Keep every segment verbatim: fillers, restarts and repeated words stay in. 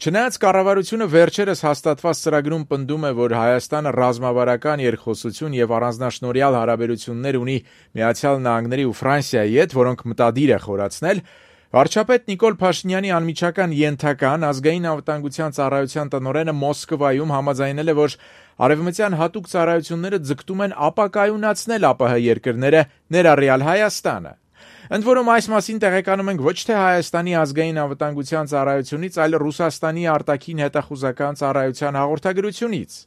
Չնայած կառավարությունը վերջերս հաստատված ծրագրում պնդում է, որ Հայաստանը ռազմավարական երկխոսություն եւ առանձնաշնորհյալ հարաբերություններ ունի Միացյալ Նահանգների ու Ֆրանսիայի հետ, որոնք մտադիր է խորացնել, վարչապետ Նիկոլ Փաշինյանի անմիջական ենթական ազգային անվտանգության ծառայության տնօրենը Մոսկվայում համաձայնել է, որ արևմտյան հատուկ ծառայությունները ձգտում են ապակայունացնել ԱՊՀ երկրները, ներառյալ Հայաստանը։ Ընդ որում այս մասին տեղեկանում ենք ոչ թե Հայաստանի ազգային անվտանգության ծառայությունից, այլ Ռուսաստանի արտաքին հետախուզական ծառայության հաղորդագրությունից։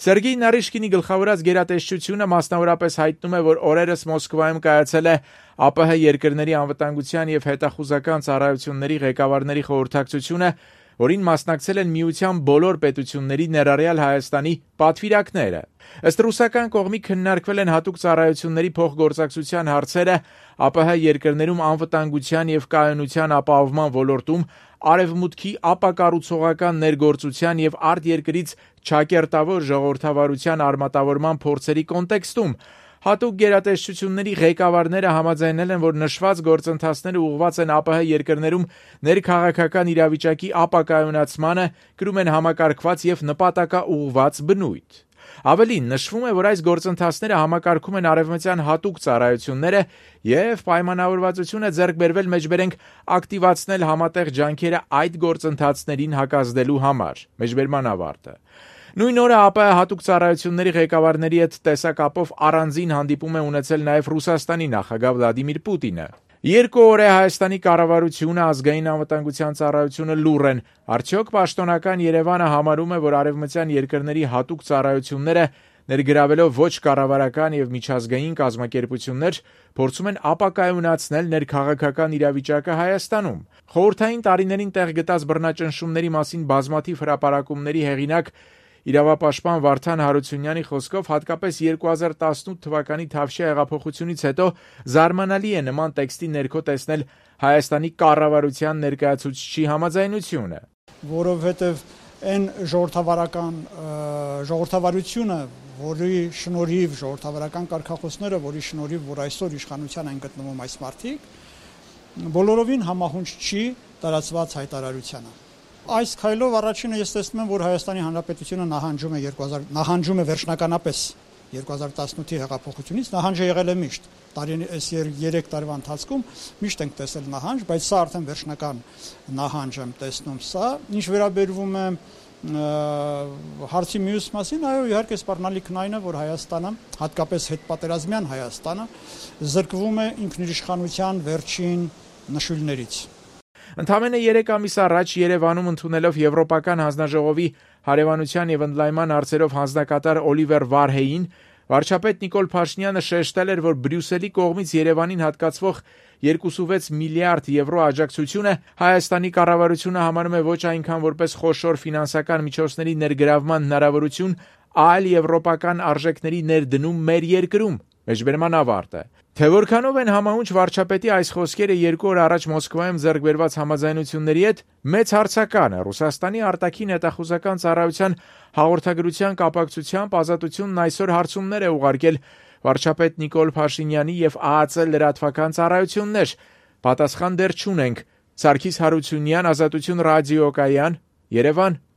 Սերգեյ Նարիշկինի գլխավորած գերատեսչությունը մասնավորապես հայտնում է, որ օրերս Մոսկվայում կայացել է ԱՊՀ երկրների անվտանգության եւ հետախուզական ծառայությունների ղեկավարների խորհրդակցությունը, որին մասնակցել են Միության բոլոր պետությունների, ներառյալ Հայաստանի պատվիրակները։ Ըստ ռուսական կողմի քննարկվել են հատուկ ծառայությունների փոխգործակցության հարցերը ԱՊՀ երկրներում անվտանգության եւ կայունության ապահովման ոլորտում, արևմուտքի ապակառուցողական ներգործության եւ արտերկրից ճակերտավոր ժողովրդավարության արմատավորման փորձերի կոնտեքստում։ Հատուկ գերատեսչությունների ղեկավարները համաձայնել են, որ նշված գործընթացները ուղղված են ԱՊՀ երկրներում ներքաղաքական իրավիճակի ապակայունացմանը, կրում են համակարգված եւ նպատակաուղղված բնույթ։ Ավելին, նշվում է, որ այս գործընթացները համակարգում են արևմտյան հատուկ ծառայությունները եւ պայմանավորվածություն է ձեռք բերվել մեջբերենք ակտիվացնել համատեղ ջանքերը այդ գործընթացներին հակազդելու համար։ Մեջբերման ավարտը։ Նույն օրը ԱՊՀ հատուկ ծառայությունների ղեկավարների հետ տեսակապով առանձին հանդիպում է ունեցել նաև Ռուսաստանի նախագահ Վլադիմիր Պուտինը։ Երկու օր է Հայաստանի կառավարությունը, ազգային անվտանգության ծառայությունը լուռ են։ Արդյոք պաշտոնական Երևանը համարում է, որ արևմտյան երկրների հատուկ ծառայությունները ներգրավելով ոչ կառավարական եւ միջազգային կազմակերպություններ փորձում են ապակայունացնել ներքաղաքական իրավիճակը Հայաստանում։ Խորհրդային տարիներին տեղ գտած բռնաճնշումների մասին բազմաթիվ հրապարակումների հեղինակ իրավապաշտպան Վարդան Հարությունյանի խոսքով հատկապես երկու հազար տասնութ թվականի Թավշյա հեղափոխությունից հետո զարմանալի է նման տեքստի ներքո տեսնել Հայաստանի կառավարության ներկայացուցչի համաձայնությունը, որովհետև այն ժողովրդավարական ժողովրդավարությունը, որի շնորհիվ ժողովրդավարական կարգախոսները, որի շնորհիվ որ այսօր իշխանության են գտնվում այս մարդիկ, բոլորովին համահունչ չի տարածված հայտարարությանը։ Այս քայլով առաջինը ես տեսնում եմ, որ Հայաստանի Հանրապետությունը նահանջում է երկու հազար նահանջում է վերջնականապես երկու հազար տասնութի հեղափոխությունից, նահանջը եղել է միշտ։ Տարին այս երեք տարվա ընթացքում միշտ ենք տեսել նահանջ, բայց սա արդեն վերջնական նահանջ եմ տեսնում սա։ Ինչ վերաբերվում է հարցի մյուս մասին, այո, իհարկե սպառնալիքն այն է, որ Հայաստանը, հատկապես հետպատերազմյան Հայաստանը, զրկվում է ինքնիշխանության վերջին նշույլներից։ Ընդամենը երեք ամիս առաջ Երևանում ընդունելով Եվրոպական հանձնաժողովի հարևանության եւ ընդլայնման հարցերով հանձնակատար Օլիվեր Վարհեին, վարչապետ Նիկոլ Փաշինյանը շեշտել էր, որ Բրյուսելի կողմից Երևանին հատկացվող երկուստվեց միլիարդ եվրո աջակցությունը Հայաստանի կառավարությունը համարում է ոչ այնքան որպես խոշոր ֆինանսական միջոցների ներգրավման հնարավորություն, այլ եվրոպական արժեքների ներդնում մեր երկրում։ Մեջբերման ավարտը։ Թե որքանով են համահունչ վարչապետի այս խոսքերը երկու օր առաջ Մոսկվայում ձեռք բերված համաձայնությունների հետ, մեծ հարցական է։ Ռուսաստանի արտաքին հետախուզական ծառայության հաղորդագրության կապակցությամբ Ազատությունն այսօր հարցումներ է ուղարկել վարչապետ Նիկոլ Փաշինյանի եւ ԱԱԾ լրատվական ծառայություններ։ Պատասխան դեռ չունենք։ Սարգիս Հարությունյան, Ազատություն ռադիոկայան, Երևան։